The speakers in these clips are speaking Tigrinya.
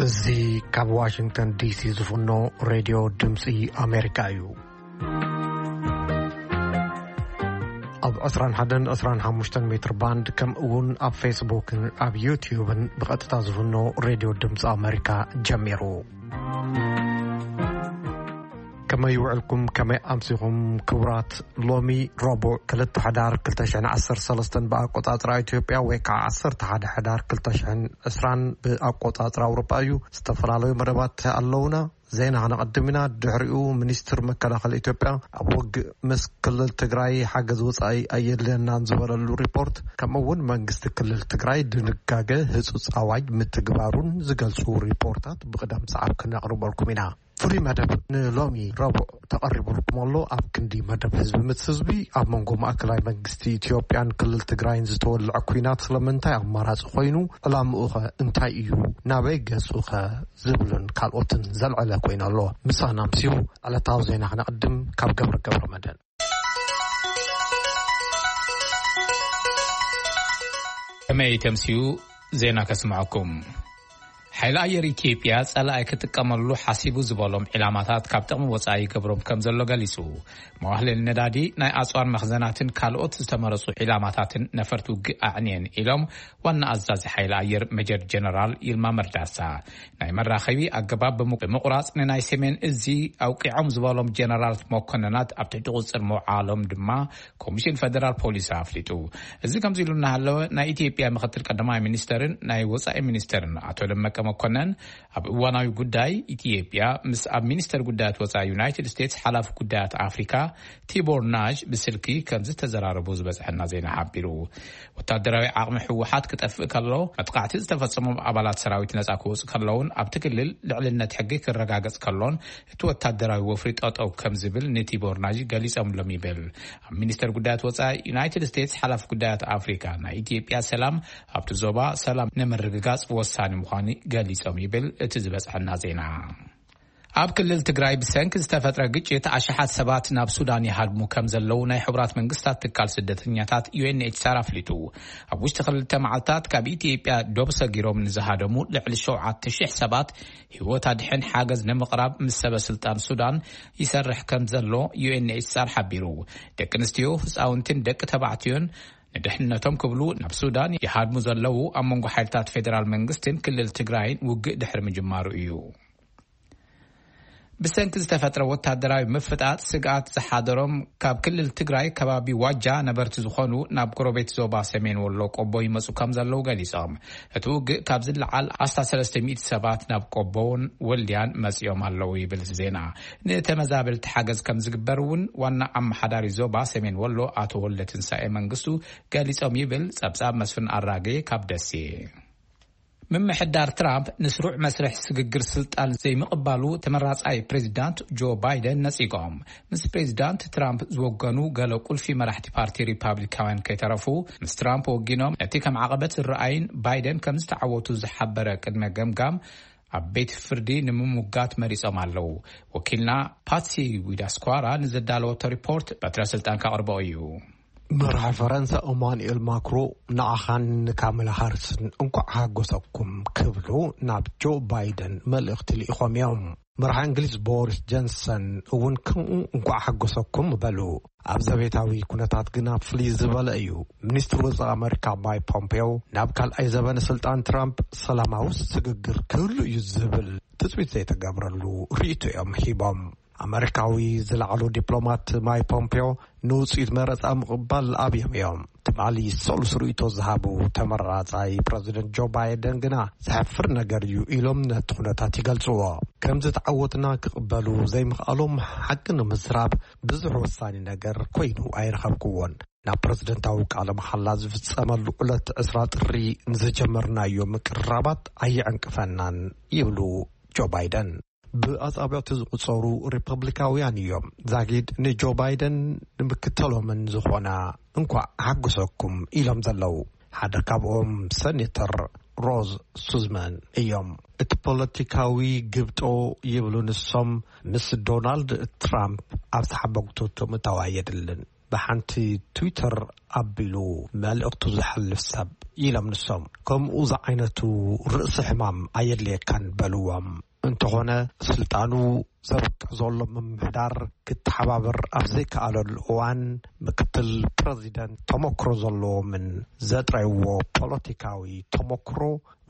እዚ ካብ ዋሽንግተን ዲሲ ዝፍኖ ሬድዮ ድምፂ ኣሜሪካ እዩ። ኣብ ዕስራን ሓደን ዕስራን ሓሙሽተን ሜትር ባንድ፣ ከምኡ እውን ኣብ ፌስቡክን ኣብ ዩትዩብን ብቐጥታ ዝፍኖ ሬድዮ ድምፂ ኣሜሪካ ጀሚሩ። ከመይ ውዕልኩም? ከመይ ኣምሲኹም? ክቡራት፣ ሎሚ ረቡዕ ክልተ ሕዳር ክልተ ሽሕን ዓሰርተ ሰለስተን ብኣቆጻጽራ ኢትዮጵያ፣ ወይ ከዓ ዓሰርተ ሓደ ሕዳር ክልተ ሽሕን ዕስራን ብኣቆጻጽራ ኣውሮጳ እዩ። ዝተፈላለዩ መደባት ኣለውና። ዜና ከነቐድም ኢና። ድሕሪኡ፣ ሚኒስትር መከላኸሊ ኢትዮጵያ ኣብ ውግእ ምስ ክልል ትግራይ ሓገዝ ወጻኢ ኣየድልየናን ዝበለሉ ሪፖርት፣ ከምኡ እውን መንግስቲ ክልል ትግራይ ድንጋገ ህጹጽ ኣዋጅ ምትግባሩን ዝገልጹ ሪፖርታት ብቕደም ሰዓብ ክነቕርበልኩም ኢና። ፍሉይ መደብ ንሎሚ ረቡዕ ተቐሪቡልኩም ኣሎ። ኣብ ክንዲ መደብ ህዝቢ ምስ ህዝቢ፣ ኣብ መንጎ ማእከላይ መንግስቲ ኢትዮጵያን ክልል ትግራይን ዝተወልዐ ኲናት ስለምንታይ ኣማራጺ ኮይኑ፣ ዕላምኡኸ እንታይ እዩ፣ ናበይ ገጹኸ ዝብልን ካልኦትን ዘልዐለ ኮይኑ ኣሎ። ምሳና ኣምስዩ ዕለታዊ ዜና ክነቕድም ካብ ገብረ ገብረ መድህን። ከመይ ተምስዩ ዜና ከስምዐኩም። ሓይሊ ኣየር ኢትዮጵያ ጸላኢ ክጥቀመሉ ሓሲቡ ዝበሎም ዒላማታት ካብ ጥቕሚ ወጻኢ ይገብሮም ከም ዘሎ ገሊጹ። መዋህለል ነዳዲ፣ ናይ ኣጽዋር መኽዘናትን ካልኦት ዝተመረጹ ዒላማታትን ነፈርቲ ውግእ ኣዕንየን ኢሎም ዋና ኣዛዚ ሓይሊ ኣየር ሜጀር ጀነራል ይልማ መርዳሳ። ናይ መራኸቢ ኣገባብ ብሙ-፣ ብምቑራጽ ንናይ ሰሜን እዚ ኣውቂዖም ዝበሎም ጀነራል መኮንናት ኣብ ትሕቲ ቁጽጽር ምውዓሎም ድማ ኮሚሽን ፈደራል ፖሊስ ኣፍሊጡ። እዚ ከምዚ ኢሉ እናሃለወ፣ ናይ ኢትዮጵያ ምክትል ቀዳማይ ሚኒስተርን ናይ ወጻኢ ሚኒስተርን ኣቶ ደመቀ መኮነን ኣብ እዋናዊ ጉዳይ ኢትዮጵያ ምስ ኣብ ሚኒስተር ጉዳያት ወጻኢ ዩናይትድ ስቴትስ ሓላፊ ጉዳያት ኣፍሪካ ቲቦር ናዥ ብስልኪ ከም ዝተዘራረቡ ዝበጽሐና ዜና ሓቢሩ። ወታደራዊ ዓቕሚ ህወሓት ክጠፍእ ከሎ፣ መጥቃዕቲ ዝተፈጸሞም ኣባላት ሰራዊት ነጻ ክወጹ ከለውን፣ ኣብቲ ክልል ልዕልነት ሕጊ ክረጋገጽ ከሎን እቲ ወታደራዊ ወፍሪ ጠጠው ከም ዝብል ንቲቦር ናዥ ገሊጾምሎም ይብል። ኣብ ሚኒስተር ጉዳያት ወጻኢ ዩናይትድ ስቴትስ ሓላፊ ጉዳያት ኣፍሪካ፣ ናይ ኢትዮጵያ ሰላም ኣብቲ ዞባ ሰላም ንምርግጋጽ ወሳኒ ምዃኑ ገሊጾም ይብል እቲ ዝበጽሐና ዜና። ኣብ ክልል ትግራይ ብሰንኪ ዝተፈጥረ ግጭት ኣሽሓት ሰባት ናብ ሱዳን ይሃድሙ ከም ዘለዉ ናይ ሕቡራት መንግስታት ትካል ስደተኛታት ዩ ኤን ኤች ሲ ኣር ኣፍሊጡ። ኣብ ውሽጢ ክልተ መዓልታት ካብ ኢትዮጵያ ዶብ ሰጊሮም ንዝሃደሙ ልዕሊ ሸውዓተ ሽሕ ሰባት ህይወት ኣድሕን ሓገዝ ንምቕራብ ምስ ሰበ ስልጣን ሱዳን ይሰርሕ ከም ዘሎ ዩ ኤን ኤች ሲ ኣር ሓቢሩ። ደቂ ኣንስትዮ፣ ህፃውንትን ደቂ ተባዕትዮን ንድሕነቶም ክብሉ ናብ ሱዳን ይሃድሙ ዘለዉ ኣብ መንጎ ሓይልታት ፌዴራል መንግስትን ክልል ትግራይን ውግእ ድሕሪ ምጅማሩ እዩ። ብሰንኪ ዝተፈጥረ ወታደራዊ ምፍጣጥ ስግኣት ዝሓደሮም ካብ ክልል ትግራይ ከባቢ ዋጃ ነበርቲ ዝኾኑ ናብ ጎረቤት ዞባ ሰሜን ወሎ ቆቦ ይመጹ ከም ዘለዉ ገሊጾም። እቲ ውግእ ካብ ዝለዓል ኣስታት ሰለስተ ሚእቲ ሰባት ናብ ቆቦን ወልድያን መጺኦም ኣለዉ ይብል እቲ ዜና። ንተመዛበልቲ ሓገዝ ከም ዝግበር እውን ዋና ኣመሓዳሪ ዞባ ሰሜን ወሎ ኣቶ ወልደ ትንሳኤ መንግስቱ ገሊጾም ይብል ጸብጻብ መስፍን ኣራጌ ካብ ደሴ። ምምሕዳር ትራምፕ ንስሩዕ መስርሕ ስግግር ስልጣን ዘይምቕባሉ ተመራጻይ ፕሬዚዳንት ጆ ባይደን ነጺጎም። ምስ ፕሬዚዳንት ትራምፕ ዝወገኑ ገለ ቁልፊ መራሕቲ ፓርቲ ሪፓብሊካውያን ከይተረፉ፣ ምስ ትራምፕ ወጊኖም ነቲ ከም ዓቐበት ዝረኣይን ባይደን ከም ዝተዓወቱ ዝሓበረ ቅድመ ገምጋም ኣብ ቤት ፍርዲ ንምምጋት መሪጾም ኣለዉ። ወኪልና ፓትሲ ዊዳስኳራ ንዘዳለወቶ ሪፖርት በትረ ስልጣን ከቕርቦ እዩ። መራሒ ፈረንሳ ኢማኑኤል ማክሮ ንዓኻን ንካመላ ሃሪስን እንኳዕ ሓጎሰኩም ክብሉ ናብ ጆ ባይደን መልእኽቲ ልኢኾም እዮም። መራሒ እንግሊዝ ቦሪስ ጆንሰን እውን ከምኡ እንኳዕ ሓጎሰኩም በሉ። ኣብ ዘቤታዊ ኩነታት ግና ፍልይ ዝበለ እዩ። ሚኒስትር ወጻኢ ኣመሪካ ማይክ ፖምፔዮ ናብ ካልኣይ ዘበነ ስልጣን ትራምፕ ሰላማዊ ስግግር ክህሉ እዩ ዝብል ትጽቢት ዘይተገብረሉ ርእይቶ እዮም ሂቦም። ኣመሪካዊ ዝለዓሉ ዲፕሎማት ማይክ ፖምፔዮ ንውጽኢት መረጻ ምቕባል ኣብዮም እዮም። ትማሊ ሰሉስ ርእይቶ ዝሃቡ ተመራጻይ ፕረዚደንት ጆ ባይደን ግና ዘሕፍር ነገር እዩ ኢሎም ነቲ ኩነታት ይገልጽዎ። ከም ዝተዓወትና ክቕበሉ ዘይምኽኣሎም ሓቂ ንምዝራብ ብዙሕ ወሳኒ ነገር ኮይኑ ኣይረኸብክዎን። ናብ ፕረዚደንታዊ ቃለ መሓላ ዝፍጸመሉ ዕለት ዕስራ ጥሪ ንዝጀመርናዮ ምቅርራባት ኣየዕንቅፈናን ይብሉ ጆ ባይደን። ብኣጻብዕቲ ዝቑጸሩ ሪፐብሊካውያን እዮም ዛጊድ ንጆ ባይደን ንምክተሎምን ዝኾና እንኳዕ ሓጎሰኩም ኢሎም ዘለዉ። ሓደ ካብኦም ሰኔተር ሮዝ ሱዝማን እዮም። እቲ ፖለቲካዊ ግብጦ ይብሉ ንሶም ምስ ዶናልድ ትራምፕ ኣብ ተሓበግቶቶ ምእታው ኣየድልን። ብሓንቲ ትዊተር ኣቢሉ መልእኽቱ ዘሕልፍ ሰብ ኢሎም ንሶም። ከምኡ ዝዓይነቱ ርእሲ ሕማም ኣየድልየካን በልዎም። እንተኾነ ስልጣኑ ዘብቅዕ ዘሎ ምምሕዳር ክተሓባበር ኣብ ዘይከኣለሉ እዋን፣ ምክትል ፕረዚደንት ተመክሮ ዘለዎምን ዘጥረይዎ ፖለቲካዊ ተመክሮ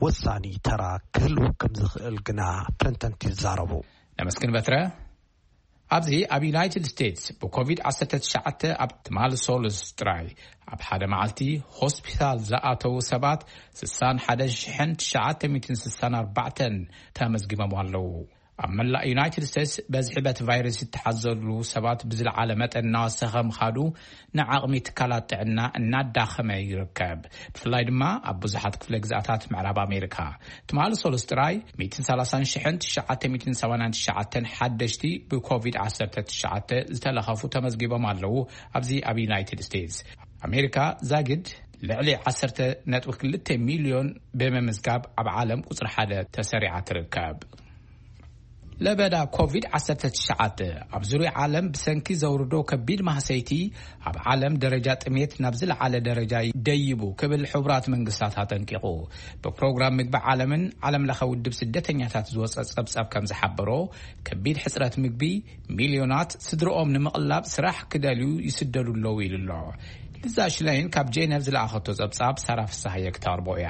ወሳኒ ተራ ክህልዎ ከም ዝኽእል ግና ተንተንቲ ይዛረቡ። ነመስግን በትረ። ኣብዚ ኣብ ዩናይትድ ስቴትስ ብኮቪድ ዓሰርተ ትሽዓተ ኣብ ትማሊ ሶሉስ ጥራይ ኣብ ሓደ መዓልቲ ሆስፒታል ዝኣተዉ ሰባት ስሳን ሓደ ሽሕን ትሽዓተ ሚእትን ስሳን ኣርባዕተን ተመዝጊቦም ኣለዉ። ኣብ መላእ ዩናይትድ ስቴትስ በዝሒ በቲ ቫይረስ ዝተሓዘሉ ሰባት ብዝለዓለ መጠን እናወሰኸ ምኻዱ ንዓቕሚ ትካላት ጥዕና እናዳኸመ ይርከብ። ብፍላይ ድማ ኣብ ብዙሓት ክፍለ ግዛታት ምዕራብ ኣሜሪካ። ትማሊ ሶሉስ ጥራይ ሚእትን ሰላሳን ሽሕን ትሽዓተ ሚእትን ሰማንያን ትሽዓተን ሓደሽቲ ብኮቪድ ዓሰርተ ትሽዓተ ዝተለኸፉ ተመዝጊቦም ኣለዉ። ኣብዚ ኣብ ዩናይትድ ስቴትስ ኣሜሪካ ዛግድ ልዕሊ ዓሰርተ ነጥቢ ክልተ ሚልዮን ብምምዝጋብ ኣብ ዓለም ቁጽሪ ሓደ ተሰሪዓ ትርከብ። ለበዳ ኮቪድ ዓሰርተ ትሽዓተ ኣብ ዙርያ ዓለም ብሰንኪ ዘውርዶ ከቢድ ማህሰይቲ ኣብ ዓለም ደረጃ ጥሜት ናብ ዝለዓለ ደረጃ ደይቡ ክብል ሕቡራት መንግስታት ኣጠንቂቑ። ብፕሮግራም ምግቢ ዓለምን ዓለም ለኸ ውድብ ስደተኛታት ዝወፀ ጸብጻብ ከም ዝሓበሮ፣ ከቢድ ሕፅረት ምግቢ፣ ሚልዮናት ስድርኦም ንምቕላብ ስራሕ ክደልዩ ይስደዱ ኣለዉ ኢሉ ኣሎ። ልዛ ሽላይን ካብ ጄነቭ ዝለኣኸቶ ጸብጻብ ሳራ ፍሳሃየ ክተቕርቦ እያ።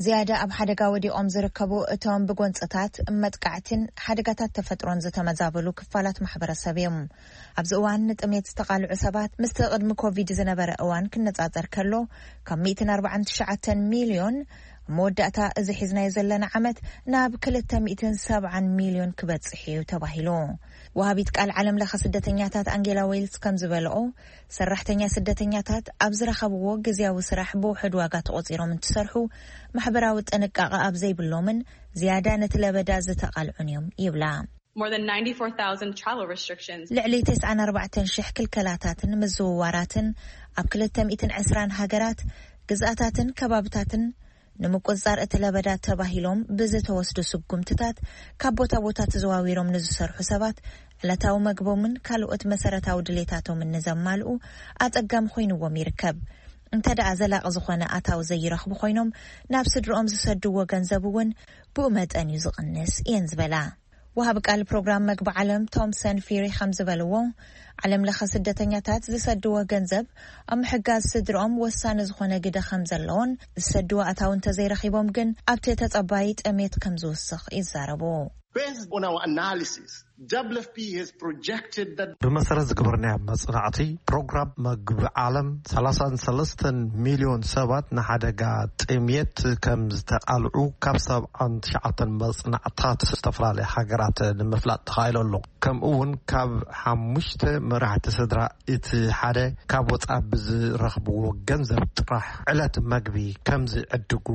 ዝያዳ ኣብ ሓደጋ ወዲቖም ዝርከቡ እቶም ብጎንጽታት፣ መጥቃዕትን ሓደጋታት ተፈጥሮን ዝተመዛበሉ ክፋላት ማሕበረሰብ እዮም። ኣብዚ እዋን ንጥሜት ዝተቓልዑ ሰባት ምስቲ ቅድሚ ኮቪድ ዝነበረ እዋን ክነጻጸር ከሎ፣ ካብ ሚእትን ኣርባዓን ትሽዓተን ሚልዮን ኣብ መወዳእታ እዚ ሒዝናዮ ዘለና ዓመት ናብ ክልተ ሚእትን ሰብዓን ሚልዮን ክበጽሕ እዩ ተባሂሉ። ወሃቢት ቃል ዓለም ለኸ ስደተኛታት ኣንጌላ ዌልስ ከም ዝበልኦ፣ ሰራሕተኛ ስደተኛታት ኣብ ዝረኸብዎ ግዝያዊ ስራሕ ብውሑድ ዋጋ ተቖጺሮም እንትሰርሑ፣ ማሕበራዊ ጥንቃቐ ኣብ ዘይብሎምን ዝያዳ ነቲ ለበዳ ዝተቓልዑን እዮም ይብላ። More than ninety-four thousand travel restrictions. ልዕሊ ተስዓን ኣርባዕተን ሽሕ ክልከላታትን ምዝውዋራትን ኣብ ክልተ ሚእትን ዕስራን ሃገራት፣ ግዝኣታትን ከባብታትን ንምቁጽጻር እቲ ለበዳ ተባሂሎም ብዝተወስዱ ስጉምትታት፣ ካብ ቦታ ቦታ ተዘዋዊሮም ንዝሰርሑ ሰባት ዕለታዊ መግቦምን ካልኦት መሰረታዊ ድሌታቶምን ንዘማልኡ ኣጸጋሚ ኮይንዎም ይርከብ። እንተ ደኣ ዘላቒ ዝኾነ ኣታዊ ዘይረኽቡ ኮይኖም፣ ናብ ስድርኦም ዝሰድዎ ገንዘብ እውን ብኡ መጠን እዩ ዝቕንስ እየን ዝበላ። ወሃቢ ቃል ፕሮግራም መግቢ ዓለም ቶምሰን ፊሪ ከም ዝበልዎ፣ ዓለም ለኸ ስደተኛታት ዝሰድዎ ገንዘብ ኣብ ምሕጋዝ ስድርኦም ወሳኒ ዝኾነ ግደ ከም ዘለዎን፣ ዝሰድዎ ኣታዊ እንተዘይረኺቦም ግን ኣብቲ ተጸባይ ጥሜት ከም ዝውስኽ ይዛረቡ። Based on our analysis, W F P has projected that ብመሰረት ዝገበርናዮ መጽናዕቲ፣ ፕሮግራም መግቢ ዓለም ሰላሳን ሰለስተን ሚልዮን ሰባት ንሓደጋ ጥሜት ከም ዝተቓልዑ ካብ ሰብዓን ትሽዓተን መጽናዕታት ዝተፈላለያ ሃገራት ንምፍላጥ ተኻኢሉ ኣሎ። ከምኡ እውን ካብ ሓሙሽተ መራሕቲ ስድራ እቲ ሓደ ካብ ወጻኢ ብዝረኽብዎ ገንዘብ ጥራሕ ዕለት መግቢ ከም ዝዕድጉ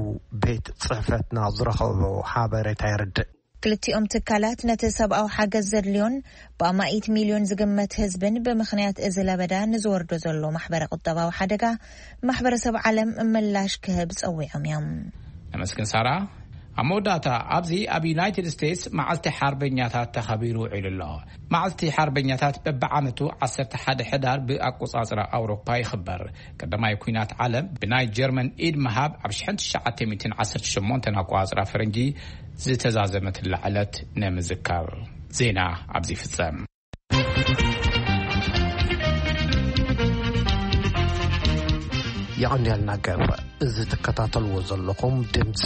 ቤት ጽሕፈትና ዝረኸቦ ሓበሬታ የርድእ። ክልቲኦም ትካላት ነቲ ሰብኣዊ ሓገዝ ዘድልዮን ብኣማኢት ሚልዮን ዝግመት ህዝብን ብምኽንያት እዚ ለበዳ ንዝወርዶ ዘሎ ማሕበረ ቁጠባዊ ሓደጋ ማሕበረሰብ ዓለም ምላሽ ክህብ ጸዊዖም እዮም። ነመስግን ሳራ። ኣብ መወዳእታ፣ ኣብዚ ኣብ ዩናይትድ ስቴትስ መዓልቲ ሓርበኛታት ተኸቢሩ ውዒሉ ኣሎ። መዓልቲ ሓርበኛታት በብዓመቱ ዓሰርተ ሓደ ሕዳር ብኣቆጻጽራ ኣውሮፓ ይኽበር። ቀዳማይ ኲናት ዓለም ብናይ ጀርመን ኢድ ምሃብ ኣብ ሽሕን ትሽዓተ ሚእትን ዓሰርተ ሸሞንተን ኣቆጻጽራ ፈረንጂ ዝተዛዘመትላ ዕለት ንምዝካር። ዜና ኣብዚ ይፍጸም። የቐንየልና ገብረ። እዚ ትከታተልዎ ዘለኹም ድምፂ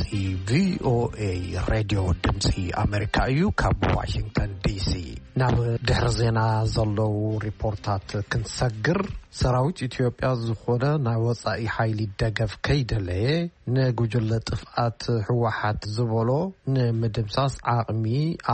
ቪ ኦ ኤ ሬድዮ ድምፂ ኣሜሪካ እዩ፣ ካብ ዋሽንግተን ዲ ሲ። ናብ ድሕሪ ዜና ዘለዉ ሪፖርታት ክንሰግር፣ ሰራዊት ኢትዮጵያ ዝኾነ ናይ ወጻኢ ሓይሊ ደገፍ ከይደለየ፣ ንጉጅለ ጥፍኣት ህወሓት ዝበሎ ንምድምሳስ ዓቕሚ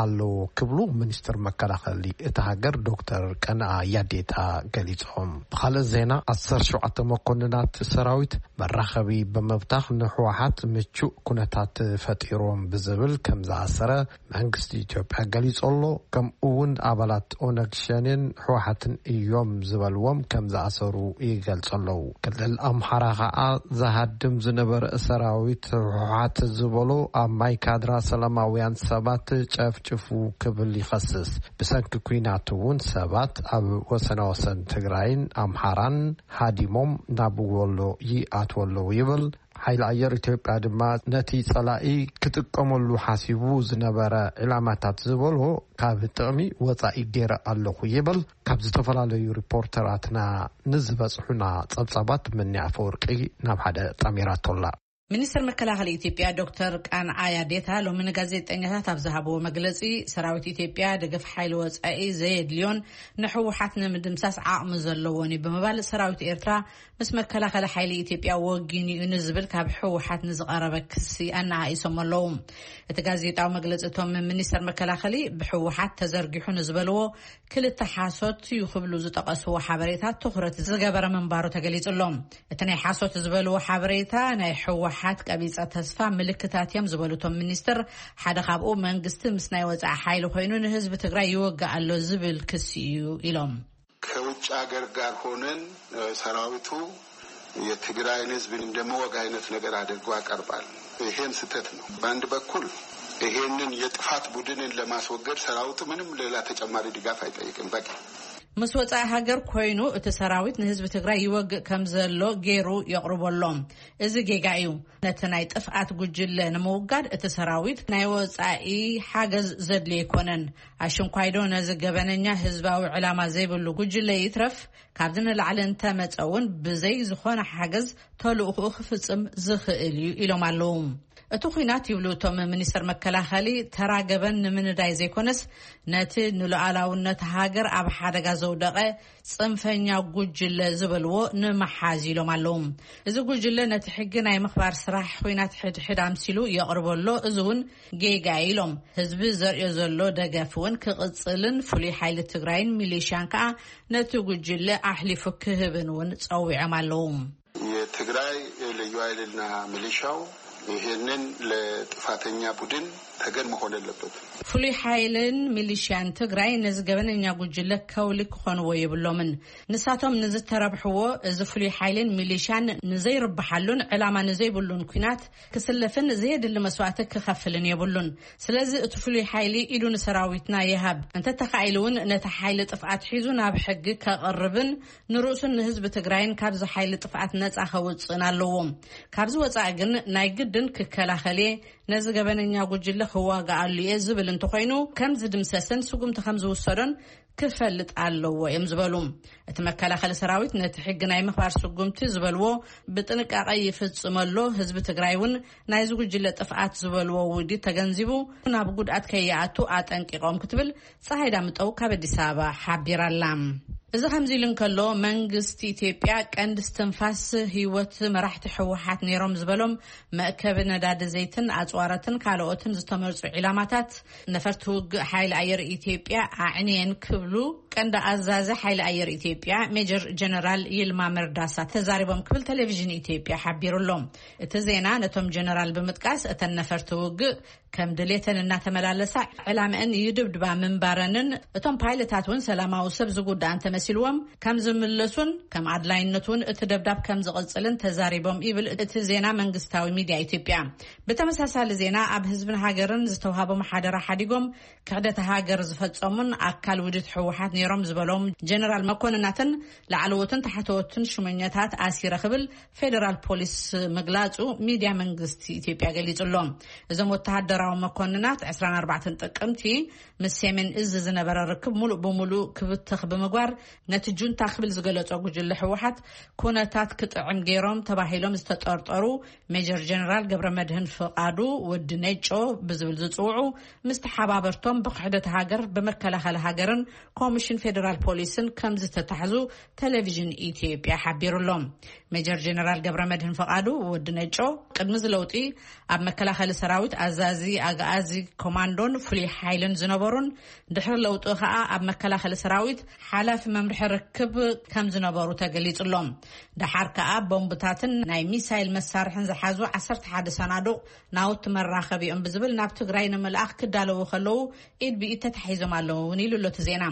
ኣለዎ ክብሉ ሚኒስትር መከላኸሊ እታ ሃገር ዶክተር ቀነኣ ያዴታ ገሊጾም። ብኻልእ ዜና፣ ዓሰርተ ሸውዓተ መኮንናት ሰራዊት መራኸቢ ብምብታኽ ንህወሓት ምቹእ ኩነታት ፈጢሮም ብዝብል ከም ዝኣሰረ መንግስቲ ኢትዮጵያ ገሊጹ ኣሎ። ከምኡ እውን ኣባላት ኦነግ ሸኔን ህወሓትን እዮም ዝበልዎም ከም ዝኣሰሩ ይገልጹ ኣለዉ። ክልል ኣምሓራ ኸኣ ዝሃድም ዝነበረ ሰራዊት ህወሓት ዝበሎ ኣብ ማይ ካድራ ሰላማውያን ሰባት ጨፍጭፉ ክብል ይኸስስ። ብሰንኪ ኲናት እውን ሰባት ኣብ ወሰናወሰን ትግራይን ኣምሓራን ሃዲሞም ናብ ወሎ ይኣትዉ ኣለዉ ይብል። ሓይሊ ኣየር ኢትዮጵያ ድማ ነቲ ጸላኢ ክጥቀመሉ ሓሲቡ ዝነበረ ዕላማታት ዝበሎ ካብ ጥቕሚ ወጻኢ ገይረ ኣለኹ ይብል። ካብ ዝተፈላለዩ ሪፖርተራትና ንዝበጽሑና ጸብጻባት ምንያ ኣፈወርቂ ናብ ሓደ ጠሚራቶላ። ሚኒስትር መከላኸሊ ኢትዮጵያ ዶክተር ቃንዓ ያዴታ ሎሚ ንጋዜጠኛታት ኣብ ዝሃብዎ መግለጺ፣ ሰራዊት ኢትዮጵያ ደገፍ ሓይሊ ወጻኢ ዘየድልዮን ንሕወሓት ንምድምሳስ ዓቕሚ ዘለዎን እዩ ብምባል፣ ሰራዊት ኤርትራ ምስ መከላኸሊ ሓይሊ ኢትዮጵያ ወጊኑ እዩ ንዝብል ካብ ህወሓት ንዝቐረበ ክሲ ኣነኣኢሶም ኣለዉ። እቲ ጋዜጣዊ መግለጺ፣ እቶም ሚኒስተር መከላኸሊ ብህወሓት ተዘርጊሑ ንዝበልዎ ክልተ ሓሶት እዩ ክብሉ ዝጠቐስዎ ሓበሬታ ትኹረት ዝገበረ ምንባሩ ተገሊጹ ኣሎ። እቲ ናይ ሓሶት ዝበልዎ ሓበሬታ ናይ ህወሓት ቀቢጸ ተስፋ ምልክታት እዮም ዝበሉ እቶም ሚኒስትር፣ ሓደ ካብኡ መንግስቲ ምስ ናይ ወጻኢ ሓይሊ ኮይኑ ንህዝቢ ትግራይ ይወግእ ኣሎ ዝብል ክሲ እዩ ኢሎም። ከውጭ ሀገር ጋር ሆነን ሰራዊቱ የትግራይን ህዝብን እንደመወግ አይነት ነገር አድርጎ ያቀርባል። ይሄም ስህተት ነው። በአንድ በኩል ይሄንን የጥፋት ቡድንን ለማስወገድ ሰራዊቱ ምንም ሌላ ተጨማሪ ድጋፍ አይጠይቅም። በቂ ምስ ወጻኢ ሃገር ኮይኑ እቲ ሰራዊት ንህዝቢ ትግራይ ይወግእ ከም ዘሎ ገይሩ የቕርበሎም። እዚ ጌጋ እዩ። ነቲ ናይ ጥፍኣት ጉጅለ ንምውጋድ እቲ ሰራዊት ናይ ወጻኢ ሓገዝ ዘድልዮ ኣይኮነን። ኣሽንኳይዶ ነዚ ገበነኛ ህዝባዊ ዕላማ ዘይብሉ ጉጅለ ይትረፍ ካብዚ ንላዕሊ እንተመጸ እውን ብዘይ ዝኾነ ሓገዝ ተልእኹኡ ክፍጽም ዝኽእል እዩ ኢሎም ኣለዉ። እቲ ኲናት ይብሉ እቶም ሚኒስትር መከላኸሊ ተራ ገበን ንምንዳይ ዘይኮነስ ነቲ ንሉዓላውነት ሃገር ኣብ ሓደጋ ዘውደቐ ጽንፈኛ ጉጅለ ዝበልዎ ንምሓዝ ኢሎም ኣለዉ። እዚ ጉጅለ ነቲ ሕጊ ናይ ምኽባር ስራሕ ኲናት ሕድሕድ ኣምሲሉ የቕርበሎ። እዚ እውን ጌጋ ኢሎም ህዝቢ ዘርእዮ ዘሎ ደገፍ እውን ክቕጽልን ፍሉይ ሓይሊ ትግራይን ሚሊሽያን ከዓ ነቲ ጉጅለ ኣሕሊፉ ክህብን እውን ጸዊዖም ኣለዉ። የትግራይ ልዩ ኃይልና ሚሊሻው ይሄንን ለጥፋተኛ ቡድን ተገን መሆን የለበትም። ፍሉይ ሓይልን ሚሊሽያን ትግራይ ነዚ ገበነኛ ጉጅለ ከውሊ ክኾንዎ የብሎምን። ንሳቶም ንዝተረብሕዎ እዚ ፍሉይ ሓይልን ሚሊሽያን ንዘይርብሓሉን ዕላማ ንዘይብሉን ኲናት ክስለፍን ዘየድሊ መስዋእቲ ክኸፍልን የብሉን። ስለዚ እቲ ፍሉይ ሓይሊ ኢዱ ንሰራዊትና ይሃብ፣ እንተተኻኢሉ እውን ነቲ ሓይሊ ጥፍኣት ሒዙ ናብ ሕጊ ከቕርብን ንርእሱን ንህዝቢ ትግራይን ካብዚ ሓይሊ ጥፍኣት ነፃ ከውፅእን ኣለዎ። ካብዚ ወፃኢ ግን ናይ ግድን ክከላኸል እየ፣ ነዚ ገበነኛ ጉጅለ ክዋጋኣሉ እየ ዝብል እንተኾይኑ ከም ዝድምሰስን ስጉምቲ ከም ዝውሰዶን ክፈልጥ ኣለዎ እዮም ዝበሉ። እቲ መከላኸሊ ሰራዊት ነቲ ሕጊ ናይ ምኽባር ስጉምቲ ዝበልዎ ብጥንቃቐ ይፍፅም ኣሎ። ህዝቢ ትግራይ እውን ናይዚ ጉጅለ ጥፍኣት ዝበልዎ ውዲት ተገንዚቡ ናብ ጉድኣት ከይኣቱ ኣጠንቂቖም ክትብል ፀሃይ ዳምጠው ካብ ኣዲስ ኣበባ ሓቢራ ኣላ። እዚ ከምዚ ኢሉ እንከሎ መንግስቲ ኢትዮጵያ ቀንዲ እስትንፋስ ህይወት መራሕቲ ህወሓት ነይሮም ዝበሎም መእከቢ ነዳዲ ዘይትን ኣፅዋራትን ካልኦትን ዝተመርፁ ዒላማታት ነፈርቲ ውግእ ሓይሊ ኣየር ኢትዮጵያ ኣዕንየን ክብሉ ቀንዲ ኣዛዚ ሓይሊ ኣየር ኢትዮጵያ ሜጀር ጀነራል ይልማ መርዳሳ ተዛሪቦም ክብል ቴሌቪዥን ኢትዮጵያ ሓቢሩ ኣሎ። እቲ ዜና ነቶም ጀነራል ብምጥቃስ እተን ነፈርቲ ውግእ ከም ድሌተን እናተመላለሳ ዕላምአን ይድብድባ ምንባረንን እቶም ፓይለታት እውን ሰላማዊ ሰብ ዝጉዳእ እንተመሲልዎም ከም ዝምለሱን ከም ኣድላይነቱ እውን እቲ ደብዳብ ከም ዝቕፅልን ተዛሪቦም ይብል እቲ ዜና መንግስታዊ ሚድያ ኢትዮጵያ። ብተመሳሳሊ ዜና ኣብ ህዝብን ሃገርን ዝተውሃቦም ሓደራ ሓዲጎም ክሕደት ሃገር ዝፈጸሙን ኣካል ውድት ህወሓት ነይሮም ዝበሎም ጀነራል መኮንናትን ላዕለዎትን ታሕተዎትን ሽመኛታት ኣሲረ ክብል ፌደራል ፖሊስ ምግላጹ ሚድያ መንግስቲ ኢትዮጵያ ገሊጹ ኣሎ። እዞም ወተሃደራዊ መኮንናት ዕስራን ኣርባዕተን ጥቅምቲ ምስ ሰሜን እዝ ዝነበረ ርክብ ሙሉእ ብሙሉእ ክብተኽ ብምግባር ነቲ ጁንታ ክብል ዝገለጾ ጉጅለ ህወሓት ኩነታት ክጥዕም ገይሮም ተባሂሎም ዝተጠርጠሩ ሜጀር ጀነራል ገብረ መድህን ፍቓዱ ወዲ ነጮ ብዝብል ዝጽውዑ ምስ ተሓባበርቶም ብክሕደት ሃገር ብመከላኸሊ ሃገርን ኮሚሽን ፌደራል ፖሊስን ከም ዝተታሕዙ ቴሌቪዥን ኢትዮጵያ ሓቢሩ ኣሎ። ሜጀር ጀነራል ገብረ መድህን ፍቓዱ ወዲ ነጮ ቅድሚ እዚ ለውጢ ኣብ መከላኸሊ ሰራዊት ኣዛዚ ኣግኣዚ ኮማንዶን ፍሉይ ሓይልን ዝነበሩን ድሕሪ ለውጢ ከዓ ኣብ መከላኸሊ ሰራዊት ሓላፊ መምርሒ ርክብ ከም ዝነበሩ ተገሊጹ ኣሎ። ደሓር ከዓ ቦምብታትን ናይ ሚሳይል መሳርሕን ዝሓዙ ዓሰርተ ሓደ ሰናዱቕ ናውቲ መራኸቢኦም ብዝብል ናብ ትግራይ ንምልኣኽ ክዳለዉ ከለዉ ኢድ ብኢድ ተታሒዞም ኣለዉ እውን ኢሉ ኣሎ እቲ ዜና።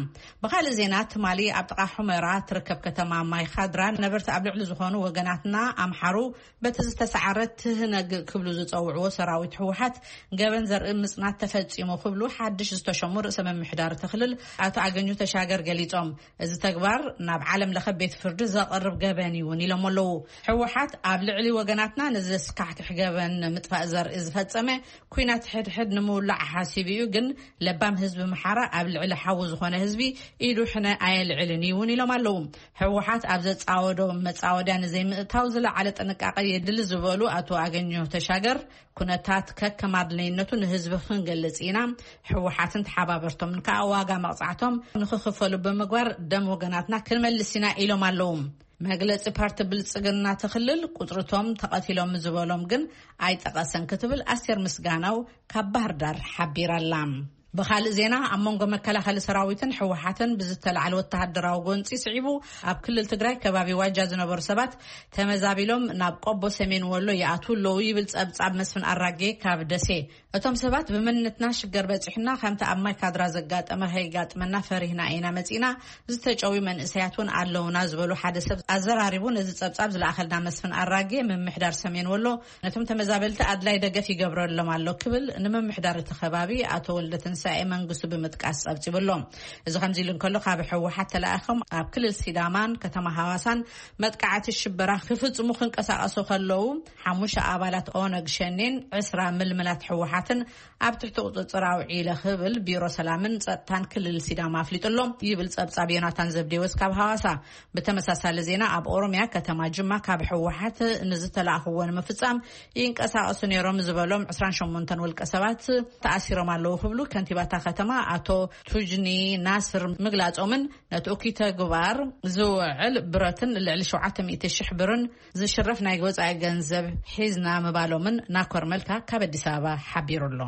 ብኻልእ ዜና ትማሊ ኣብ ጥቓ ሑመራ ትርከብ ከተማ ማይ ኻድራ ነበርቲ ኣብ ልዕሊ ዝኾኑ ወገናትና ኣምሓሩ በቲ ዝተሰዓረ ትህነግ ክብሉ ዝፀውዕዎ ሰራዊት ህወሓት ገበን ዘርኢ ምፅናት ተፈፂሙ ክብሉ ሓድሽ ዝተሸሙ ርእሰ ምምሕዳር እቲ ክልል ኣቶ ኣገኙ ተሻገር ገሊፆም። እዚ ተግባር ናብ ዓለም ለኸ ቤት ፍርዲ ዘቕርብ ገበን እዩ እውን ኢሎም ኣለዉ። ህወሓት ኣብ ልዕሊ ወገናትና ንዘስካሕክሕ ገበን ንምጥፋእ ዘርኢ ዝፈጸመ ኲናት ሕድሕድ ንምውላዕ ሓሲቡ እዩ፣ ግን ለባም ህዝቢ ምሓራ ኣብ ልዕሊ ሓዉ ዝኾነ ህዝቢ ኢዱ ሕነ ኣየልዕልን እዩ እውን ኢሎም ኣለዉ። ህወሓት ኣብ ዘጻወዶ መጻወድያ ንዘይምእታው ዝለዓለ ጥንቃቐ የድሊ ዝበሉ ኣቶ ኣገኘሁ ተሻገር፣ ኩነታት ከከም ኣድላይነቱ ንህዝቢ ክንገልጽ ኢና። ህወሓትን ተሓባበርቶምን ከኣ ዋጋ መቕጻዕቶም ንኽኽፈሉ ብምግባር ደም ወገናትና ክንመልስ ኢና ኢሎም ኣለዉ። መግለጺ ፓርቲ ብልጽግና እቲ ክልል ቁጽርቶም ተቐቲሎም ዝበሎም ግን ኣይጠቐሰን ክትብል ኣስቴር ምስጋናው ካብ ባህር ዳር ሓቢራ ኣላ። ብኻልእ ዜና፣ ኣብ መንጎ መከላኸሊ ሰራዊትን ህወሓትን ብዝተላዕለ ወተሃደራዊ ጎንጺ ስዒቡ ኣብ ክልል ትግራይ ከባቢ ዋጃ ዝነበሩ ሰባት ተመዛቢሎም ናብ ቆቦ ሰሜን ወሎ ይኣትዉ ኣለዉ ይብል ጸብጻብ መስፍን ኣራጌ ካብ ደሴ። እቶም ሰባት ብመንነትና ሽገር በጺሑና፣ ከምቲ ኣብ ማይ ካድራ ዘጋጠመ ከይጋጥመና ፈሪህና ኢና መጺና፣ ዝተጨውዩ መንእሰያት እውን ኣለውና ዝበሉ ሓደ ሰብ ኣዘራሪቡ ነዚ ጸብጻብ ዝለኣኸልና መስፍን ኣራጌ ምምሕዳር ሰሜን ወሎ ነቶም ተመዛበልቲ ኣድላይ ደገፍ ይገብረሎም ኣሎ ክብል ንምምሕዳር እቲ ከባቢ ኣቶ ወልደ ትንሳኤ መንግስቱ ብምጥቃስ ጸብጺቡ ኣሎ። እዚ ከምዚ ኢሉ እንከሎ፣ ካብ ህወሓት ተላኢኾም ኣብ ክልል ሲዳማን ከተማ ሃዋሳን መጥቃዕቲ ሽበራ ክፍጽሙ ክንቀሳቐሱ ከለዉ፣ ሓሙሽተ ኣባላት ኦነግ ሸኔን ዕስራ ምልምላት ህወሓትን ኣብ ትሕቲ ቁጽጽር ኣውዒለ ክብል ቢሮ ሰላምን ጸጥታን ክልል ሲዳማ ኣፍሊጡ ኣሎ ይብል ጸብጻብ ዮናታን ዘብዴዎስ ካብ ሃዋሳ። ብተመሳሳሊ ዜና፣ ኣብ ኦሮምያ ከተማ ጅማ ካብ ህወሓት ንዝተላእኽዎ ንምፍጻም ይንቀሳቐሱ ነይሮም ዝበሎም ዕስራን ሸሞንተን ውልቀ ሰባት ተኣሲሮም ኣለዉ ክብሉ ከንቲባታ ከተማ ኣቶ ቱጅኒ ናስር ምግላጾምን ነቲ እኩይ ተግባር ዝውዕል ብረትን ልዕሊ ሸውዓተ ሚእቲ ሽሕ ብርን ዝሽረፍ ናይ ወጻኢ ገንዘብ ሒዝና ምባሎምን ናኮር መልካ ካብ ኣዲስ ኣበባ ሓቢሩ ኣሎ።